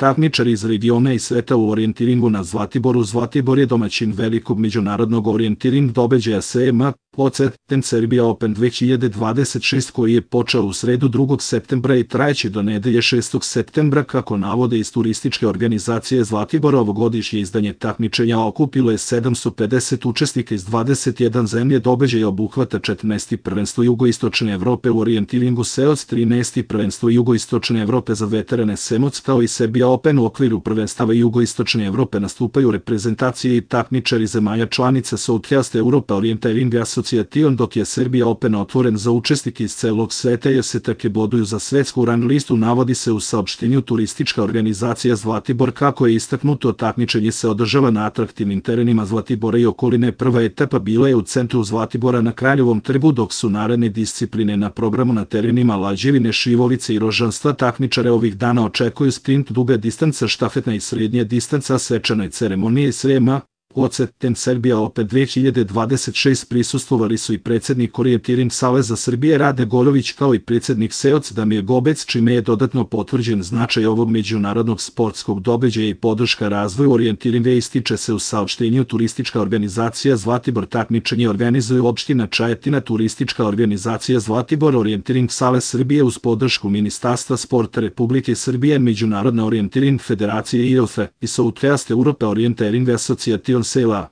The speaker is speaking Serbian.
takmičari iz regiona i sveta u orijentiringu na Zlatiboru. Zlatibor je domaćin velikog međunarodnog orijentiring događaja SMA Ten Serbia Open 2026 koji je počeo u sredu 2. septembra i trajeće do nedelje 6. septembra. Kako navode iz turističke organizacije Zlatibor, ovogodišnje izdanje takmičenja okupilo je 750 učesnika iz 21 zemlje. Događaj obuhvata 14. prvenstvo Jugoistočne Evrope u orijentiringu SEOC, 13. prvenstvo Jugoistočne Evrope za veterane SEMOC, kao i Serbia Open. U okviru prvenstava Jugoistočne Evrope nastupaju reprezentacije i takmičari zemalja članica Southeast Europa Orienteering Association, dok je Serbia Open otvoren za učesnike iz celog sveta jer se take boduju za svetsku rang listu, navodi se u saopštenju turistička organizacija Zlatibor. Kako je istaknuto, takmičenje se održava na atraktivnim terenima Zlatibora i okoline. Prva etapa bila je u centru Zlatibora na Kraljevom trgu, dok su naredne discipline na programu na terenima Lađevine, Šivolice i Rožanstva. Takmičare ovih dana očekuju sprint, duga distanca, štafetna i srednja distanca. Svečanoj ceremoniji SMA Ten Serbia Open 2026 prisustvovali su i predsjednik Orijentiring Saveza Srbije Rade Goljović, kao i predsjednik SEOC Damir Gobec, čime je dodatno potvrđen značaj ovog međunarodnog sportskog događaja i podrška razvoju orijentiringa. Ističe se u saopštenju turistička organizacija Zlatibor. Takmičenje organizuje opština Čajetina, turistička organizacija Zlatibor, Orijentiring Savez Srbije uz podršku Ministarstva sporta Republike Srbije, Međunarodna orijentiring federacije IOF i Southeast Europa Orienteering Association SELA.